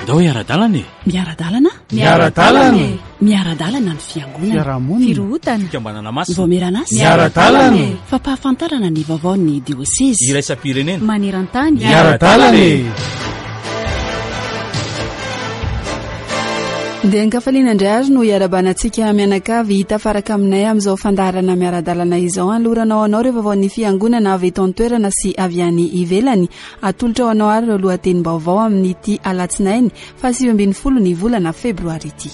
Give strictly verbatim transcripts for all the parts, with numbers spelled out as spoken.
Andao hiara-dalana e! Miara-dalana? Miara-dalana e! Miara-dalana ny fiangonana. Fiarahamonina. Firohotana. Fikambanana masina. Vaomieran'asa. Miara-dalana e! Fampahafantarana ny vaovaon'ny diosezy. Iraisam-pirenena. Maneran-tany. Miara-dalana e! Dia ankafaliana indray ary no hiarabana antsika mianakavy tafaraka aminay amin'izao fandaharana miara-dalana izao. Anoloranao anao ireo vaovaon'ny fiangonana avy eto an-toerana sy avy any ivelany. Atolotra ho anao ary ireo lohatenim-baovao amin'ity alatsinainy fahasivy ambin'ny folo ny volana febroary ity.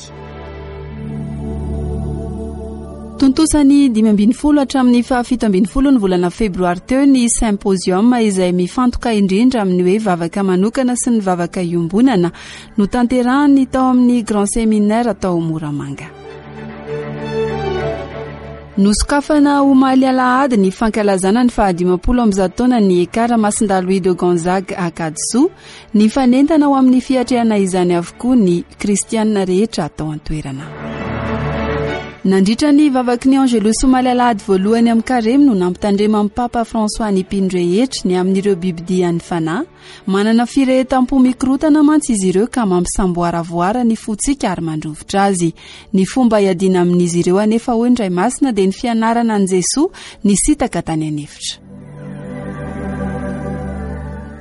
Tontosa ny dimy ambin'ny folo hatramin'ny fahafito ambin'ny folo ny volana febroary teo ny symposium izay mifantoka indrindra amin'ny hoe vavaka manokana sy ny vavaka iombonana notanterahany tao amin'ny Grand Séminaire tao Moramanga. Nosokafana omaly alahady ny fankalazana ny fahadimampolo amby zato taona ny Ekara Masindahy Louis de Gonzague Ankadisoa. Nifanentana ho amin'ny fiatrehana izany avokoa ny kristianina rehetra tao an-toerana. Nandritra ny vavaky ny Angelus omaly alahady voalohany amin'ny karemy no nampitandreman'ny Papa François ny mpino rehetra ny amin'ireo bibidian'ny fanahy. Manana firehetam-po mikorotana mantsy izy ireo ka mampisamboaravoara ny fontsika ary mandrovitra azy. Ny fomba hiadiana amin'izy ireo anefa hoy ny Ray Masina dia ny fianarana an'i Jesoa nisitaka tany an'efitra.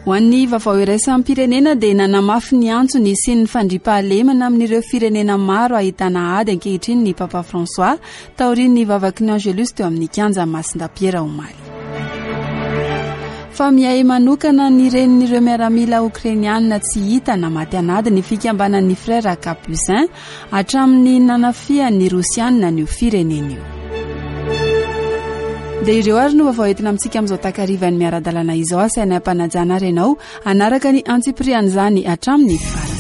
Ho an'ny vaovao iraisam-pirenena dia nanamafy ny antso ny hisian'ny fandriampahalemana amin'ireo firenena maro ahitana ady ankehitriny ny Papa François taorian'ny vavaky ny Angelus teo amin'ny kianja Masindahy Piera omaly. Fa miahy manokana ny renin'ireo miaramila okrainianina tsy hita na maty an'ady ny fikambanan'ny Frères Capucins hatramin'ny nanafihan'ny Rosianina an'io firenena io. Dia ireo ary no vaovao entina amintsika amin'izao takarivan'ny miara-dalana izao. Asaina am-panajana ary ianao hanaraka ny antsipirian'izany hatramin'ny farany.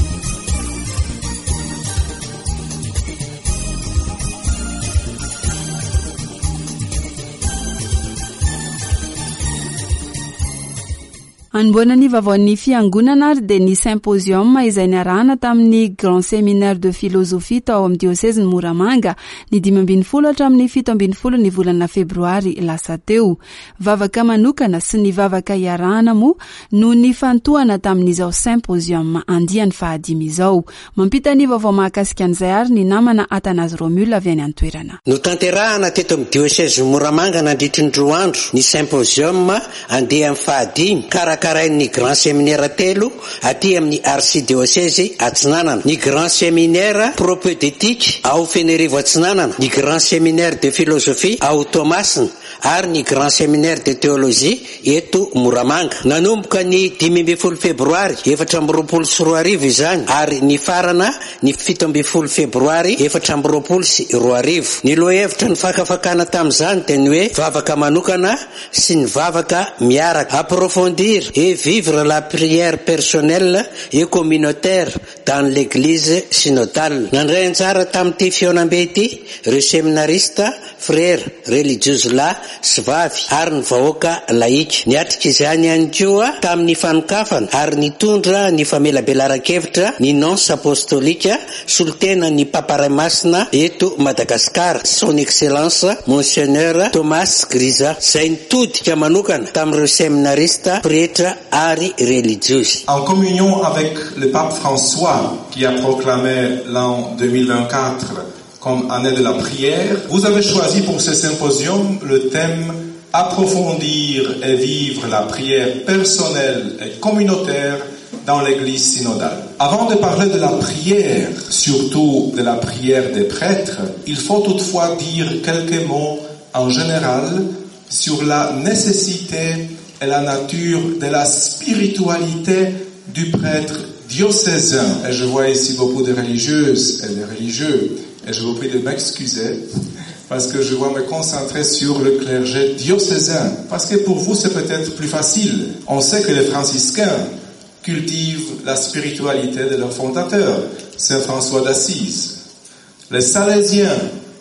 Anombohana ny vaovaon'ny fiangonana ary dia ny symposium izay niarahana tamin'ny Grand Séminaire de Philosophie tao amin'ny diosezin'i Moramanga ny dimy ambin'ny folo hatramin'ny fito ambin'ny folo ny volana febroary lasa teo. Vavaka manokana sy ny vavaka iarahana moa no nifantohana tamin'izao symposium andiany fahadimy izao. Mampita ny vaovao mahakasika an'izay ary ny namana Athanase Romule avy any an-toerana. Notanterahana teto amin'ny diosezin'i Moramanga nandritry ny roa andro ny symposium andiany fahadimy karakarain'ny Grand Séminaire telo aty amin'ny archidiocèse Atsinanana, ny Grand Séminaire propédeutique ao Fenerivo Atsinanana, ny Grand Séminaire de Philosophie ao Toamasina ary ny Grand Séminaire de Théologie eto Moramanga. Nanomboka ny dimy ambin'ny folo febroary efatra amby roapolo sy roa arivo izany ary nifarana ny fito ambin'ny folo febroary efatra amby roapolo sy roa arivo. Ny lohahevitra ny fakafakana tamin'izany dia ny hoe vavaka manokana sy ny vavaka miaraka. Approfondir et vivre la prière personnelle et communautaire dans l'église synodale. Nandray anjara tamin'ity fihaonambe ity ireo séminariste, frères, religieuses lahy sy vavy ary ny vahoaka laïque. Niatrika izany ihany koa tamin'ny fanokafana ary nitondra ny famelabelaran-kevitra ny nonce apostolika solotena ny Papa Ray Masina eto Madagasikara, son excellence Monseigneur Thomas Grisa, izay nitodika manokana tamin'ireo séminariste, pretra ary religieuses. En communion avec le pape François qui a proclamé l'an deux mille vingt-quatre comme année de la prière, vous avez choisi pour ce symposium le thème Approfondir et vivre la prière personnelle et communautaire dans l'église synodale. Avant de parler de la prière, surtout de la prière des prêtres, il faut toutefois dire quelques mots en général sur la nécessité et la nature de la spiritualité du prêtre diocésain. Et je vois ici beaucoup de religieuses et de religieux, et je vous prie de m'excuser parce que je dois me concentrer sur le clergé diocésain, parce que pour vous c'est peut-être plus facile. On sait que les franciscains cultivent la spiritualité de leur fondateur, Saint François d'Assise. Les Salésiens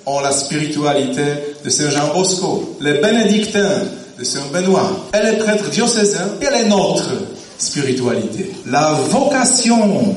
ont la spiritualité de Saint Jean Bosco, les bénédictins de Saint Benoît, et les prêtres diocésains, quelle est notre spiritualité? La vocation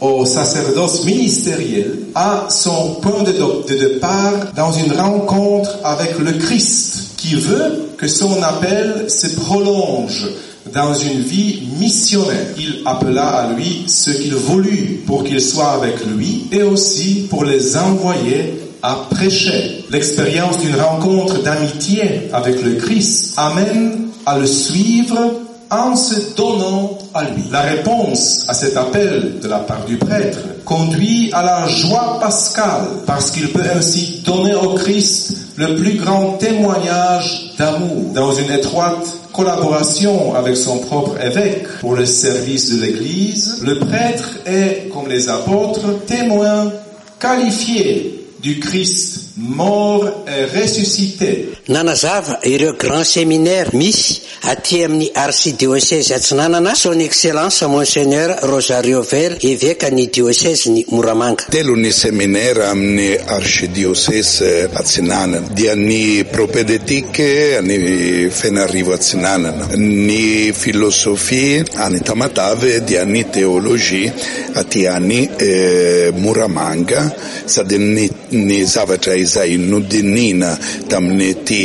au sacerdoce ministériel a son point de, de départ dans une rencontre avec le Christ qui veut que son appel se prolonge dans une vie missionnaire. Il appela à lui ceux qu'il voulut pour qu'ils soient avec lui et aussi pour les envoyer à prêcher. L'expérience d'une rencontre d'amitié avec le Christ amène à le suivre en se donnant à lui. La réponse à cet appel de la part du prêtre conduit à la joie pascale parce qu'il peut ainsi donner au Christ le plus grand témoignage d'amour dans une étroite collaboration avec son propre évêque pour le service de l'Église. Le prêtre est, comme les apôtres, témoin qualifié du Christ mort et ressuscité. Nanazava ireo grand séminaire misy aty amin'ny archidiocèse Atsinanana son excellence monseigneur Rosario Vela, évêque ny diocèse ny Moramanga. Telo ny séminaire amin'ny archidiocèse Atsinanana, dia ny propédeutique any Fenarivo Atsinanana, ny philosophie any Tamatave, dia ny théologie aty any eh, Moramanga. Sady ny, ny zavatra izay nodinina tamin'ny ty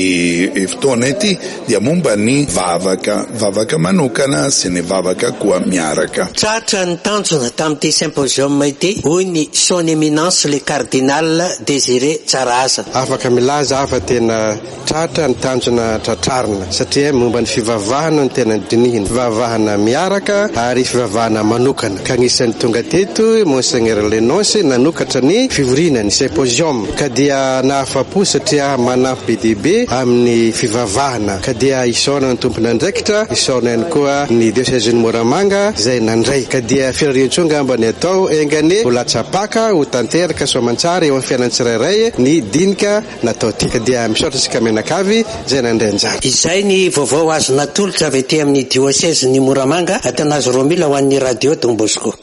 fotoana ity dia momba ny vavaka, vavaka manokana sy ny vavaka koa miaraka. Tratra ny tanjona tamin'ity symposium ity, hoy ny son éminence le cardinal Désiré Tsarahazana. Afaka milaza afa tena tratra ny tanjona tratrarina, satria momba ny fivavahana no tena dinihina, fivavahana miaraka ary fivavahana manokana. Ka anisan'ny tonga teto monseigneur le nonce nanokatra ny fivoriana, ny symposium, ka dia nahafapo satria manampy be dia be amin'ny fivavahana. Ka dia isaorana ny tompon'andraikitra, isaorana ihany koa ny diocèse Moramanga izay nandray. Ka dia firarian-tsoa angamba ny atao, enga anie ho latsapaka ho tanteraka soamantsara eo amin'ny fiainan'ny tsirairay ny dinika natao ty. Ka dia misaotra isika mianakavy izay nandray anjara. Izay ny vaovao azo natolotra avy aty amin'ny diocèse ny Moramanga. Atanazy Romila ho an'ny radio Don Bosco.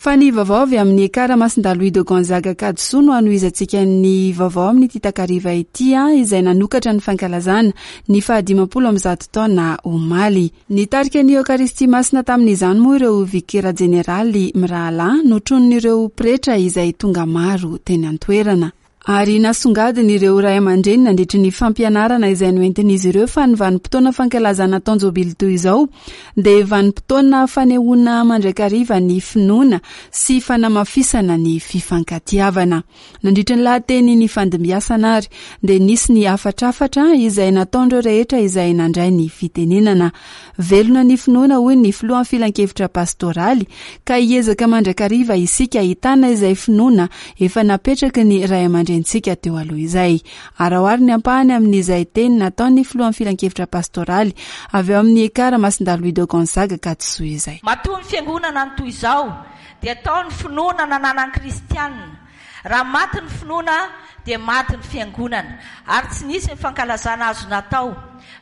Fa ny vaovao avy amin'ny Ekara Masindahy Louis de Gonzague Ankadisoa no hanohizantsika ny vaovao amin'ity takariva ity, izay nanokatra ny fankalazana ny fahadimampolo amby zato taona omaly. Nitarika ny Eokaristia masina tamin'izany moa ireo vikera jeneraly mirahalahy notronin'ireo pretra izay tonga maro teny an-toerana. Ary nasongadiny ireo ray aman-dreny nandritry ny fampianarana izay noentin'izy ireo fa ny vanim-potoana fankalazana taon-jobily toy izao dia vanim-potoana fanehoana mandrakariva ny finoana sy fanamafisana ny fifankatiavana. Nandritry ny lahateny ny fandimbiasana ary dia nisy ny hafatrafatra izay nataon'ireo rehetra izay nandray ny fitenenana. Velona ny finoana, hoy ny filohan'ny filankevitra pastoraly, ka hiezaka mandrakariva isika hitana izay finoana efa napetraky ny ray aman-drenintsika teo aloha izay. Ary ao ary ny ampahany amin'izay teny nataon'ny filohan'ny filankevitra pastoraly avy eo amin'ny Ekara Masindahy Louis de Gonzague Ankadisoa izay. Matoa ny fiangonana ny toy izao dia tao ny finoana nananan'ny kristianina. Raha maty ny finoana dia maty ny fiangonana, ary tsy nisy ny fankalazana azo natao.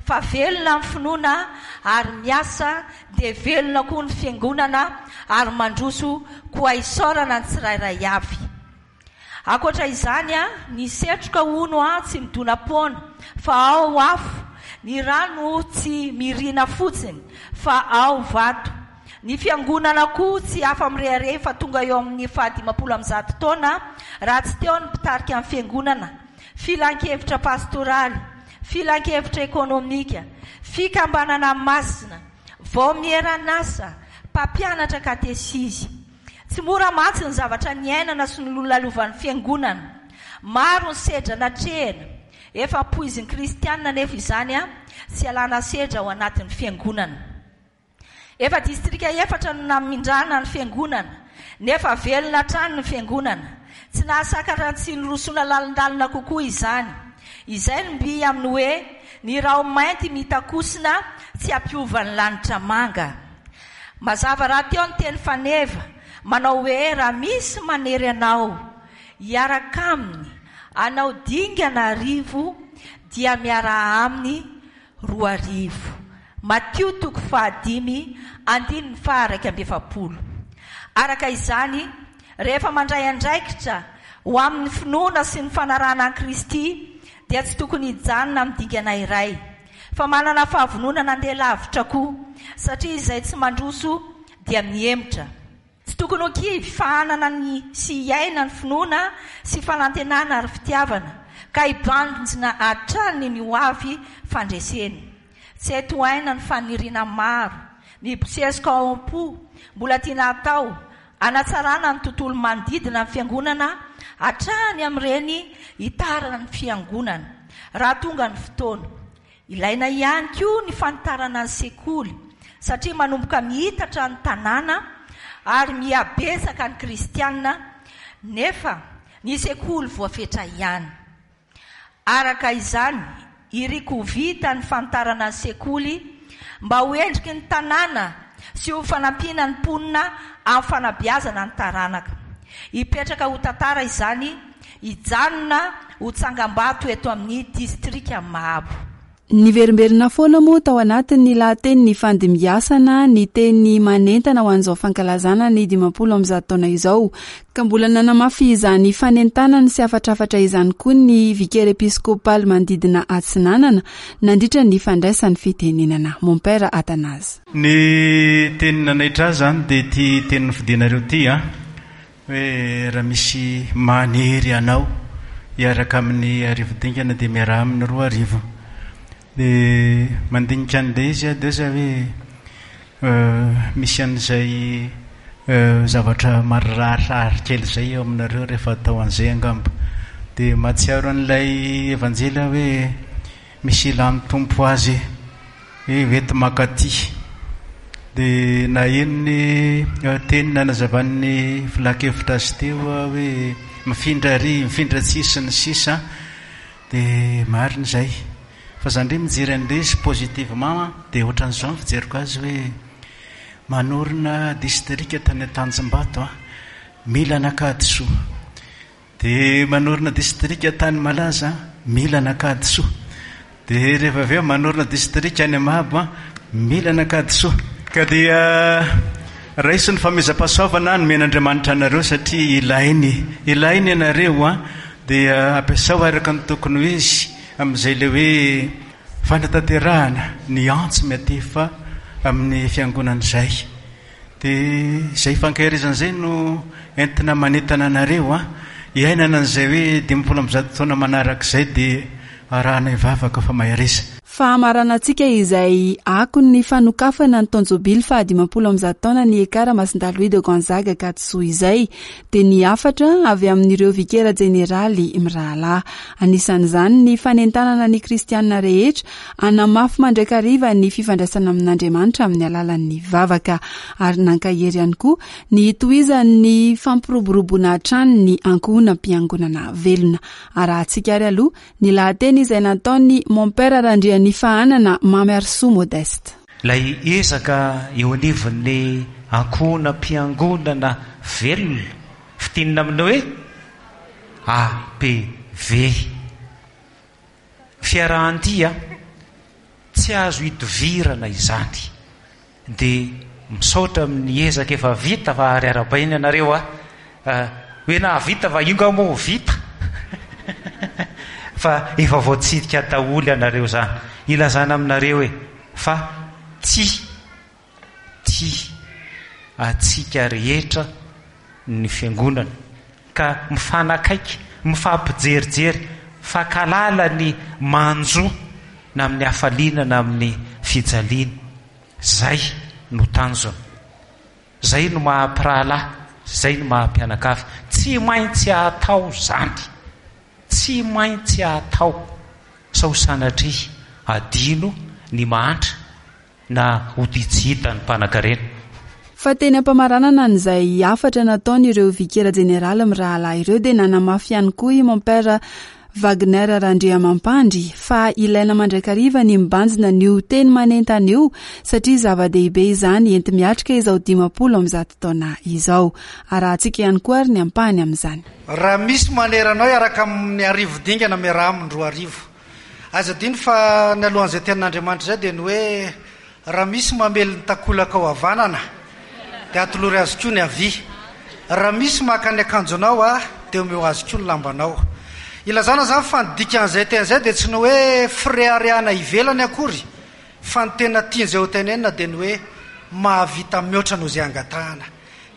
Fa velona ny finoana ary miasa, dia velona koa ny fiangonana ary mandroso, koa isaorana ny tsirairay avy. Ankoatra izany, ny setroka hono tsy midona-poana fa ao afo, ny rano tsy mirina fotsiny fa ao vato. Ny fiangonana koa tsy afa-mirehareha fa tonga eo amin'ny fahadimampolo amby zato taona raha tsy teo ny mpitarika ny fiangonana, filankevitra pastoraly, filankevitra ekonomika, fikambanana masina, vaomieran'asa, mpampianatra katesizy. Tsy mora mantsy ny zavatra niainana sy ny nolalovan'ny fiangonana. Maro ny sedra natrehina, efa poizin'ny kristianina nefa izany a tsy alana sedra ao anatin'ny fiangonana. Efa distrika efatra no namindrana ny fiangonana, nefa velona hatrany ny fiangonana. Tsy nahasakatra tsy nirosoana lalindalina kokoa izany. Izay no mby amin'ny hoe ny raho mainty mitakosina tsy hampiova ny lanitra manga. Mazava rahateo ny teny faneva manao hoe raha misy manery anao hiaraka aminy anao dingana arivo dia miaraha aminy roa arivo. Matio toko fahadimy andininy faha-iraika amby efapolo. Araka izany, rehefa mandray andraikitra ho amin'ny finoana sy ny fanarahana an'i Kristy dia tsy tokony hijanona amin'ny dingana iray, fa manana fahavononana andeha lavitra koa, satria izay tsy mandroso dia mihemotra. tokony ho kivy fa hanana ny sy hiaina ny finoana sy fanantenana ary fitiavana, ka hibanjina hatrany ny ho avy fandresena. Tsy hay tohaina ny faniriana maro mibosesika ao am-po mbola tiana hatao hanatsarana ny tontolo manodidina ny fiangonana hatrany amin'ireny hitarana ny fiangonana raha tonga ny fotoana. Ilaina ihany koa ny fanitarana ny sekoly satria manomboka mihitatra ny tanàna ary mihabetsaka ny kristianina, nefa ny sekoly voafetra ihany. Araka izany, iriko ho vita ny fanitarana ny sekoly mba ho endriky ny tanàna sy ho fanampiana ny mponina amin'ny fanabeazana ny taranaka. Hipetraka ho tantara izany, hijanona ho tsangambato eto amin'ny distrika Mahabo. Niverimberina foana moa tao anatin'ny lahateny ny fandimbiasana ny teny manentana ho an'izao fankalazana ny dimampolo amby zato taona izao, ka mbola nanamafy izany fanentanana sy hafatrafatra izany koa ny vikera episkopaly manodidina Atsinanana nandritra ny fandraisany fitenenana. Mompera Athanase. Ny teny nanaitra ahy izany dia ity teny nofidianareo ity, a hoe raha misy manery anao hiaraka amin'ny arivo dingana dia miaraha amin'ny roa arivo. Dia mandinika an'ilay izy aho dia zay hoe misy an'izay zavatra marirarirary kely izay eo aminareo rehefa atao an'izay angamba. Dia mahatsiaro an'ilay evanjely aho hoe misy ilan'ny Tompo azy hoe hoety makaty. Dia naheno ny teny nanazavan'ny filan-kevitra azy teo aho hoe mifindra ary, mifindra tsy sy ny sisa. Dia marina izay. Fa zany ndray mijery an'ilay izy positivement dia ohatran'izao ny fijeriko azy hoe manorina distrika tany Antanjombato a, mila an'Ankadisoa. Dia manorina distrika tany Malaza, mila an'Ankadisoa. Dia rehefa avy eo manorina distrika any Mahabo a, mila an'Ankadisoa. Ka dia raiso ny famezam-pahasoavana nomen'Andriamanitra anareo satria ilainy, ilainy ianareo a, dia ampiasao araka ny tokony ho izy amin'izay ilay hoe fanatanterahana ny antso miatefa amin'ny fiangonana izay. Dia izay fankaherezana izay no entina manentana anareo a, iainana an'izay hoe dimampolo amby zato taona manaraka izay dia arahana hivavaka fa mahereza. Fahamaranantsika izay akon'ny fanokafana ny taon-jobily faha dimampolo amby zato taona ny Ekara Masindahy Louis de Gonzague Ankadisoa izay dia ny hafatra avy amin'ireo vikera jeneraly mirahalahy. Anisan'izany ny fanentanana ny kristianina rehetra hanamafy mandrakariva ny fifandraisana amin'Andriamanitra amin'ny alalan'ny vavaka, ary nankahery ihany koa ny hitohizan'ny fampiroboroboana hatrany ny ankohonam-piangonana velona. Arahantsika ary aloha ny lahateny izay nataony Mompera Randrianifahanana Mamy Arisoa Modeste. Ilay ezaka eo anivon'ny ankohonam-piangonana velona, fintinina amin'ny hoe A P V. Fiarahan-dia tsy azo idovirana izany. Dia misaotra amin'ny ezaka efa vita fa ary arabaina ianareo a. Hoe nahavita fa io nga moa vita. Fa efa voatsidika daholo ianareo izany. Ilazana aminareo hoe fa tsy tia antsika rehetra ny fiangonana, ka mifanakaiky, mifampijerijery, fankahalala ny manjo na amin'ny hafaliana na amin'ny fijaliana. Zay no tanjona, zay no maha-mpirahalahy, zay no maha-mpianakavy. Tsy maintsy atao zany, tsy maintsy atao, sao sanatria adino ny mahantra na ho tsy hita ny mpanan-karena. Fa teny am-pamaranana an'izay hafatra nataon'ireo vikera jeneraly mirahalahy ireo dia nanamafy ihany koa i Mompera Wagner Randriamampandry fa ilaina mandrakariva ny mibanjina an'io teny manentana io satria zava-dehibe izany enti-miatrika izao dimampolo amby zato taona izao. Arahantsika ihany koa ary ny ampahany amin'izany. Raha misy maneranao hiaraka amin'ny arivo dingana miaraha aminy roa arivo. Aza adino fa ny alohan'izay tenin'Andriamanitra izay dia ny hoe raha misy mamely ny takolaka ao havanana dia atolory azy koa ny havia. Raha misy maka ny akanjonao a dia omeo azy koa ny lambanao. Ilazana izany fa ny dikan'izay teny izay dia tsy ny hoe fireharehana ivelany akory, fa ny tena tian'izay ho tenenina dia ny hoe mahavita mihoatra noho izay angatahana.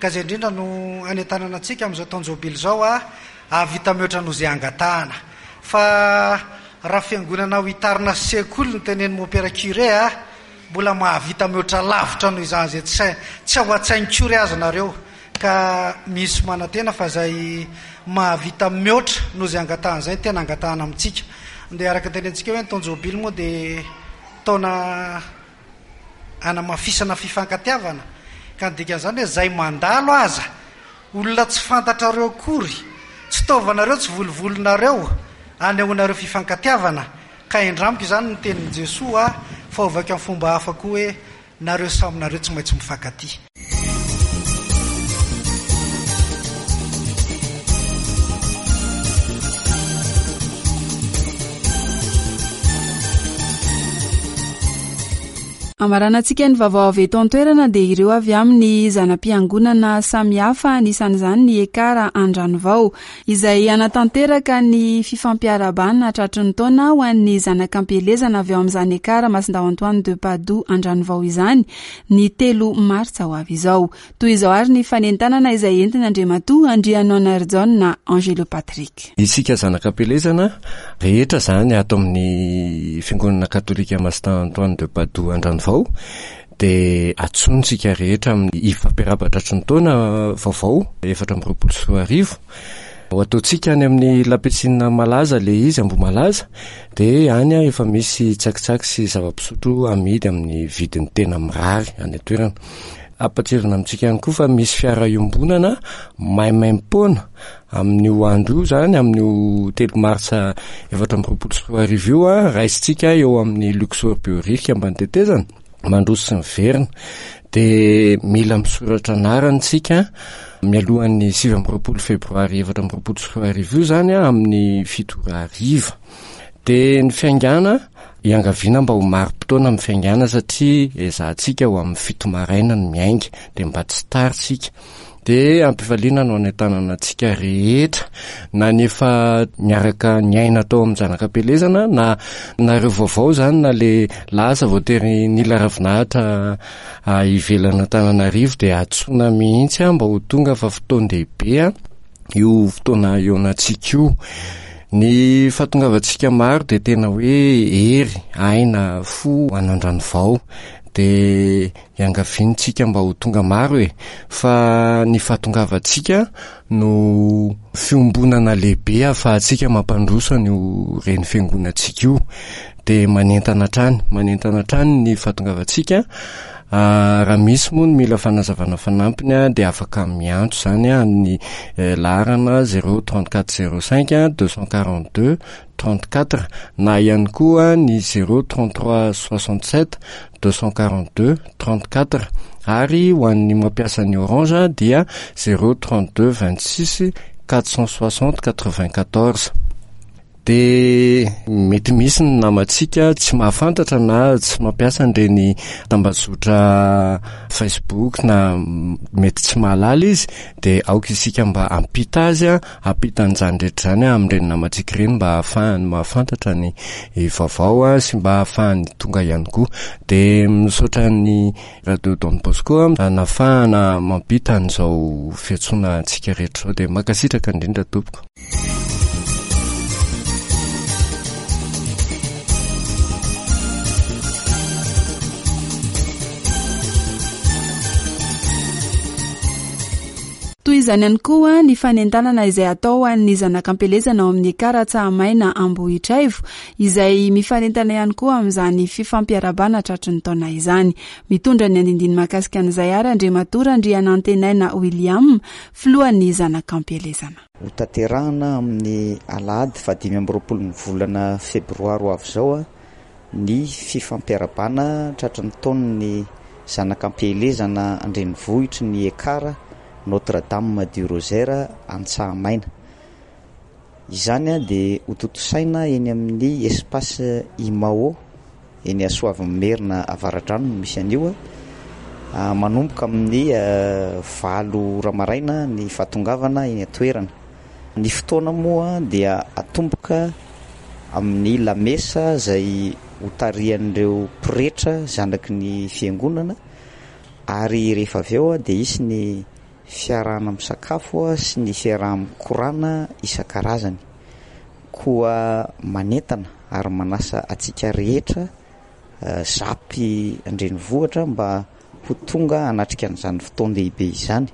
Ka izay indrindra no anentanana antsika amin'izao taon-jobily izao a hahavita mihoatra noho izay angatahana. Fa raha fiangonana ho hitarina sekoly ny tenen'ny mompera curé a, mbola mahavita mihoatra lavitra noho izany izay tsy tsy ao an-tsainy curé aza nareo. Ka misy manantena fa izay mahavita mihoatra noho izay angatahana izay tena angatahana amintsika. Dia araka ny tenentsika hoe ny taon-jobily moa dia taona anamafisana fifankatiavana, ka ny dikan'izany hoe izay mandalo aza olona tsy fantatrareo akory, tsy taovanareo, tsy volovolonareo, anehoanareo fifankatiavana. Ka indramiko izany ny tenin'i Jesoa fa ovaiko amin'ny fomba hafa koa hoe nareo samy nareo tsy maintsy mifankatia. Amaranantsika ny vaovao avy eto an-toerana dia ireo avy amin'ny zana-piangonana samihafa, anisan'izany ny Ekara Andranovao, izay hanatanteraka ny fifampiarahabana tratry ny taona ho an'ny zanak'ampielezana avy ao amin'izany Ekara Masindahy Antoine de Padoue Andranovao izany ny telo martsa ho avy izao. Toy izao ary ny fanentanana izay entina Andriamatoa Andrianonarijaona Angelo Patrick. Isika zanak'ampielezana rehetra izany ato amin'ny fiangonana katolika Masindahy Antoine de Padoue Andranovao dia antsointsika rehetra amin'ny ifampiarahaba tratry ny taona vaovao efatra amby roapolo sy roa arivo. Ho ataontsika any amin'ny lapisina malaza le izy Ambohimalaza, dia any efa misy tsakitsaky sy zava-pisotro amidy amin'ny vidiny tena mirary any an-toerana. Ampahatsiahivina amintsika ihany koa fa misy fiara iombonana maimaimpoana amin'io andro io izany, amin'io telo martsa efatra amby roapolo sy roa arivo io, a, raisintsika eo amin'ny Luxor Behoririka ambany tetezana, mandroso sy miverina. Dia mila misoratra anarana isika mialohan'ny sivy amby roapolo febroary efatra amby roapolo sy roa arivo io izany, a, amin'ny fito ora hariva. Dia ny fiaingàna, iangaviana mba ho marim-potoana amin'ny fiaingàna satria ezahantsika ho amin'ny fito maraina no miainga, dia mba tsy tara isika. Dia ampifaliana no anentanana antsika rehetra, na ny efa niaraka niaina tao amin'ny zanak'ampielezana, na nareo vaovao izany, na le lasa voatery nila ravinahitra ivelan'Antananarivo, dia antsoina mihitsy mba ho tonga fa fotoan-dehibe io fotoana ionantsika io. Ny fahatongavantsika maro dia tena hoe hery, aina, fo ho an'Andranovao. Dia iangaviantsika mba ho tonga maro e, fa ny fahatongavantsika no fiombonana lehibe ahafahantsika mampandroso an'io reny fiangonantsika io. Dia manentana hatrany, manentana hatrany ny fahatongavantsika. Raha misy moa ny mila fanazavana fanampiny dia afaka miantso izany amin'ny laharana zéro trente-quatre zéro cinq deux cent quarante-deux trente-quatre na ihany koa ny zéro trente-trois soixante-sept deux cent quarante-deux trente-quatre, ary ho an'ny mampiasa ny Orange dia zéro trente-deux vingt-six quatre cent soixante quatre-vingt-quatorze. Dia mety misy ny namantsika tsy mahafantatra na tsy mampiasa an'ireny tambazotra Facebook na mety tsy mahalala izy, dia aoka isika mba hampita azy, hampita an'izany rehetra izany amin'ireny namantsika ireny mba hahafahany mahafantatra ny vaovao sy mba hahafahany tonga ihany koa. Dia misaotra ny Radio Don Bosco nahafahana mampita an'izao fiantsoana antsika rehetra izao, dia mankasitraka indrindra tompoko. Toy izany ihany koa ny fanentanana izay atao ho an'ny zanak'ampielezana ao amin'ny Ekara Tsahamaina Ambohitraivo, izay mifanentana ihany koa amin'izany fifampiarabana tratry ny taona izany. Mitondra ny andindiny mahakasika an'izay ary Andriamatoa Randrianantenaina William, filohan'ny zanak'ampielezana. Ho tanterahana amin'ny alahady fahadimy amby roapolo ny volana febroary ho avy izao ny fifampiarabana tratry ny taon'ny zanak'ampielezana an-drenivohitry ny Ekara Notre-Dame du Rosaire Antsahamaina. Izany dia hotontosaina eny amin'ny espace Imao eny Soavimerina Avaradrano no misy an'io. Manomboka amin'ny valo ora maraina ny fahatongavana eny an-toerana. Ny fotoana moa dia atomboka amin'ny lamesa izay hotarihan'ireo pretra zanaky ny fiangonana, ary rehefa avy eo dia hisy ny fiarahana misakafo sy ny fiaraha-mikorana isan-karazany. Koa manentana ary manasa antsika rehetra zapy an-drenivohitra mba ho tonga hanatrika an'izany fotoan-dehibe izany.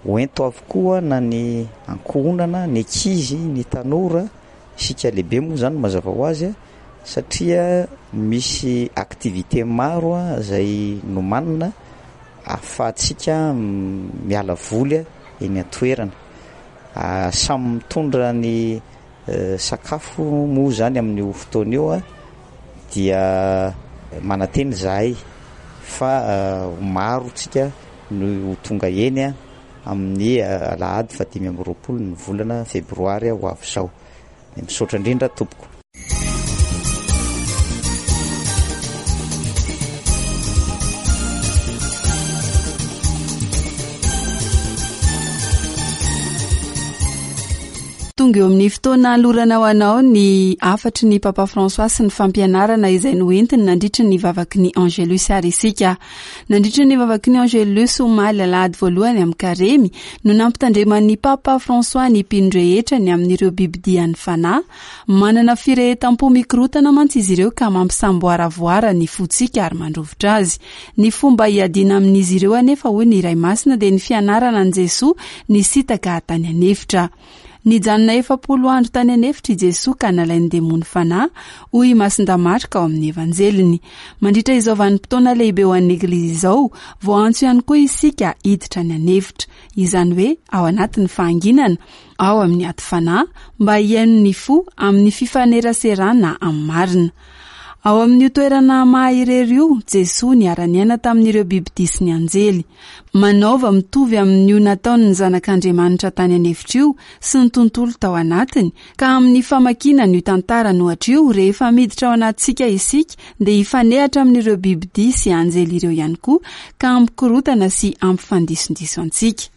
Hoento avokoa na ny ankohonana, ny ankizy, ny tanora, isika lehibe moa izany mazava ho azy, satria misy activité maro izay nomanina ahafahantsika miala voly eny an-toerana. Samy mitondra ny sakafo moa izany amin'io fotoana io dia manantena izahay fa maro tsika no ho tonga eny amin'ny alahady fahadimy amby roapolo ny volana febroary ho avy izao. Misaotra indrindra tompoko. Tonga eo amin'ny fotoana anolorana ho anao ny hafatry ny Papa François sy ny fampianarana izay noentiny nandritry ny vavaky ny Angelus ary isika. Nandritry ny vavaky ny Angelus omaly alahady voalohany amin'ny karemy no nampitandreman'ny Papa François ny mpino rehetra ny amin'ireo bibidian'ny fanahy. Manana firehetam-po mikorotana mantsy izy ireo ka mampisamboaravoara ny fontsika ary mandrovitra azy. Ny fomba hiadiana amin'izy ireo anefa, hoy ny Ray Masina, dia ny fianarana an'i Jesoa nisintaka tany an'efitra. Nijanona efapolo andro tany an'efitra i Jesoa ka nalain'ny demony fanahy, hoy i Masinda Marka ao amin'ny Evanjeliny. Mandritra izao vanim-potoana lehibe ho an'ny Eglizy izao, voaantso ihany koa isika hiditra any an'efitra, izany hoe ao anatin'ny fahanginana, ao amin'ny ady fanahy, mba hihaino ny fo amin'ny fifaneraserana amin'ny marina. Ao amin'io toerana maha irery io, Jesoa niara-niaina tamin'ireo bibidia sy ny anjely. Manaova mitovy amin'io nataon'ny zanak'Andriamanitra tany an'efitra io sy ny tontolo tao anatiny, ka amin'ny famakiana an'io tantara nohatra io, rehefa miditra ao anatintsika isika, dia hifanehatra amin'ireo bibidia sy anjely ireo ihany koa, ka hampikorotana sy hampifandisondiso antsika.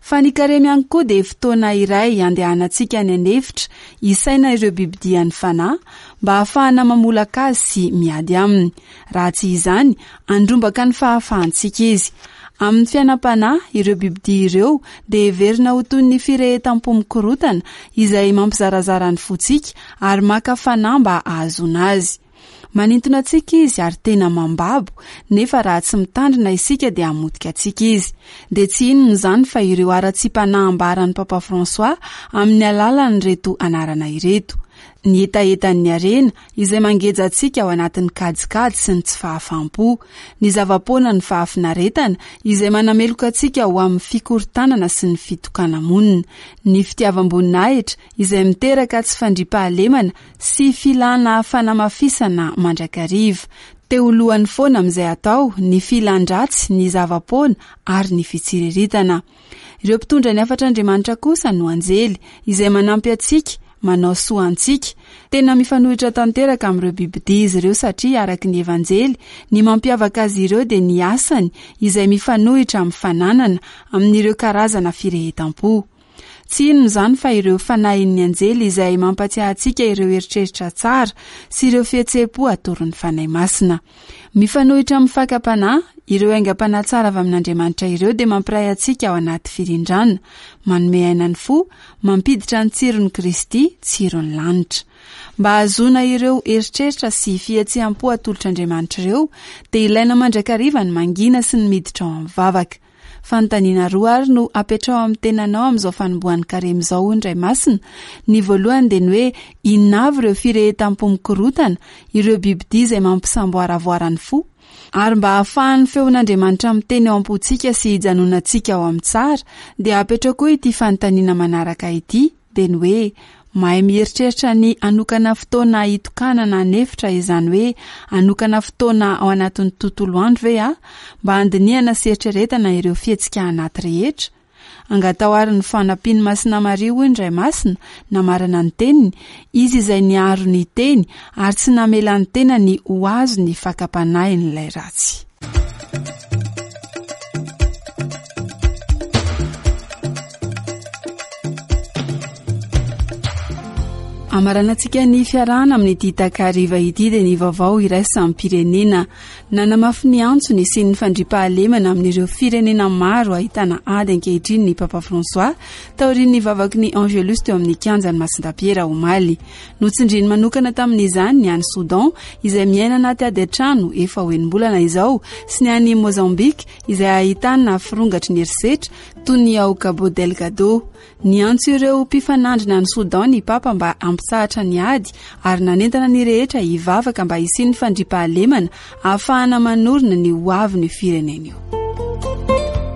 Fa ny karemy ihany koa dia fotoana iray andehanantsika any an'efitra, hisaina ireo bibidian'ny fanahy, mba hahafahana mamolaka azy sy miady aminy. Raha tsy izany, handrombaka ny fahafahantsika izy. Amin'ny fiainam-panahy, ireo bibidia ireo dia heverina ho toy ny firehetam-po mikorotana izay mampizarazara ny fontsika ary maka fanahy mba hahazoana azy. Manintona antsika izy ary tena mambabo, nefa raha tsy mitandrina isika dia hamotika antsika izy. Dia tsy inona izany fa ireo haratsiam-panahy ambaran'ny Papa François amin'ny alalan'ireto anarana ireto. Ny hetahetan'ny harena izay mangeja antsika ao anatin'ny kajikajy sy ny tsy fahafaham-po. Ny zava-poana ny fahafinaretana izay manameloka antsika ho amin'ny fikorontanana sy ny fitokana-monina. Ny fitiavam-boninahitra izay miteraka tsy fandriampahalemana sy filana fanamafisana mandrakariva. Te ho lohany foana amin'izay atao, ny filan-dratsy, ny zava-poana ary ny fitsiriritana. Ireo mpitondra ny hafatr'Andriamanitra kosa no anjely izay manampy antsika, manao soa antsika. Tena mifanohitra tanteraka amin'ireo bibidia izy ireo satria araka ny Evanjely, ny mampiavaka azy ireo dia ny asany izay mifanohitra amin'ny fananana, amin'ireo karazana firehetam-po. Tsy inona izany fa ireo fanahin'ny anjely izay mampatsiahy antsika ireo eritreritra tsara sy ireo fihetseham-po atoron'ny Fanahy Masina. Mifanohitra amin'ny fakam-panahy, ireo aingam-panahy tsara avy amin'Andriamanitra ireo dia mampiray antsika ao anaty firindrana, manome aina ny fo, mampiditra ny tsiron'i Kristy, tsiron'ny lanitra. Mba hahazoana ireo eritreritra sy fihetseham-po atolotr'Andriamanitra ireo, dia ilaina mandrakariva ny mangina sy ny miditra ao amin'ny vavaka. Fanontaniana roa ary no apetrao amin'ny tenanao amin'izao fanombohan'ny karemy izao, hoy ny Ray Masina. Ny voalohany dia ny hoe inona avy ireo firehetam-po mikorotana, ireo bibidia izay mampisamboaravoara ny fo? Ary mba hahafahan'ny feon'Andriamanitra miteny ao am-pontsika sy hijanonantsika ao amin'ny tsara, dia apetrao koa ity fanontaniana manaraka ity, dia ny hoe mahay mieritreritra ny hanokana fotoana hitokanana an'efitra, izany hoe hanokana fotoana ao anatin'ny tontolo andro ve aho mba handinihana sy eritreretana ireo fihetsika anaty rehetra? Angatao ary ny fanampian'i Masina Maria, hoy ny Ray Masina, namarana ny teniny, izy izay niaro ny teny ary tsy namela ny tenany ho azo ny fakam-panahin'ilay ratsy. Amaranantsika ny fiarahana amin'ity takariva ity dia ny vaovao iraisam-pirenena. Nanamafy ny antso nisian'ny fandriampahalemana amin'ireo firenena maro ahitana ady ankehitriny ny Papa François taorian'ny vavaky ny Angelus teo amin'ny kianjan'i Masindahy Piera omaly. Notsindriny manokana tamin'izany ny any Soudan izay miaina anaty ady an-trano efa ho enim-bolana izao sy ny any Mozambique izay ahitana firongatry ny herisetra toy ny ao Cabo Delgado. Niantso ireo mpifanandrina any Soudan ny Papa mba hampitsahatra ny ady ary nanentana ny rehetra hivavaka mba hisian'ny fandriampahalemana ahafahana manorina ny hoavin'ny firenena io.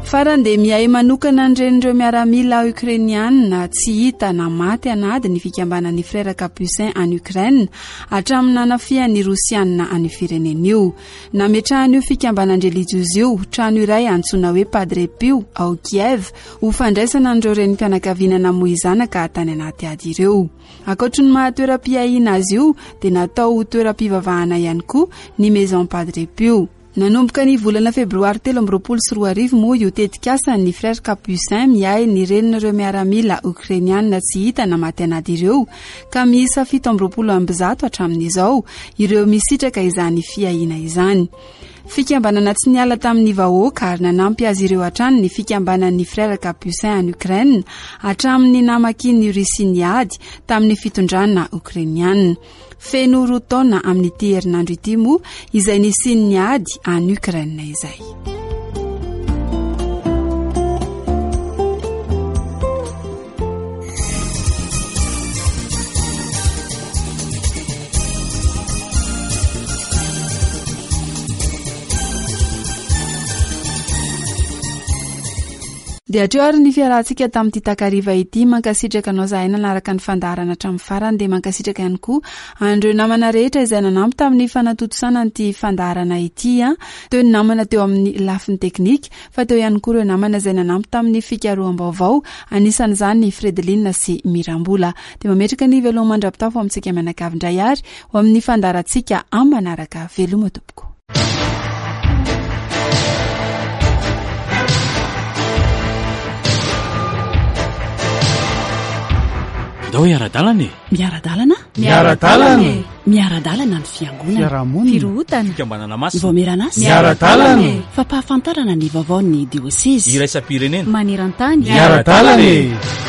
Farany dia miahy manokana ny renin'ireo miaramila Ukrainiana tsy hita na maty an'ady ny fikambanan'ny Frères Capucins any Ukraine hatramin'ny nanafihan'ny Rosiana any firenena io. Nametrahan'io fikambanan-drelijiozy io trano iray antsoina hoe Padre Pio ao Kiev ho fandraisana an'ireo renim-pianakaviana namoy zanaka tany anaty ady ireo. Ankoatry ny maha toeram-piahiana azy io dia natao ho toeram-pivavahana ihany koa ny Maison Padre Pio. Nanomboka ny volana febroary telo amby roapolo sy roa arivo moa io tetikasan'ny Frères Capucins miahy ny renin'ireo miaramila Ukrainiana tsy hita na maty an'ady ireo ka miisa fito amby roapolo amby zato hatramin'izao ireo misitraka izany fiahiana izany. Fikambanana tsy niala tamin'ny vahoaka ary nanampy azy ireo hatrany ny fikambanan'ny Frères Capucins any Ukraine hatramin'ny namakian'ny Russie ny ady tamin'ny fitondrana Ukrainiana. Feno roa taona amin'ity herinandro ity moa izay nisian'ny ady any Ukraine izay. Dia hatreo ary ny fiarahantsika tamin'ity takariva ity. Mankasitraka anao zahay nanaraka ny fandaharana hatramin'ny farany, dia mankasitraka ihany koa an'ireo namana rehetra izay nanampy tamin'ny fanatontosana an'ity fandaharana ity. Teo ny namana teo amin'ny lafiny teknika, fa teo ihany koa ireo namana izay nanampy tamin'ny fikaroham-baovao, anisan'izany ny Fredeline sy Mirambola. Dia mametraka ny veloma mandra-pitafo amintsika mianakavy indray ary ho amin'ny fandaharantsika amin'ny manaraka. Veloma tompoko. Ndao hiara-dalana e. Miara-dalana? Miara-dalana e. Miara-dalana ny fiangonana. Fiarahamonina. Firohotana. Fikambanana masina. Vaomieran'asa. Miara-dalana e. Fampahafantarana ny vaovaon'ny diosezy. Iraisam-pirenena. Maneran-tany. Miara-dalana e.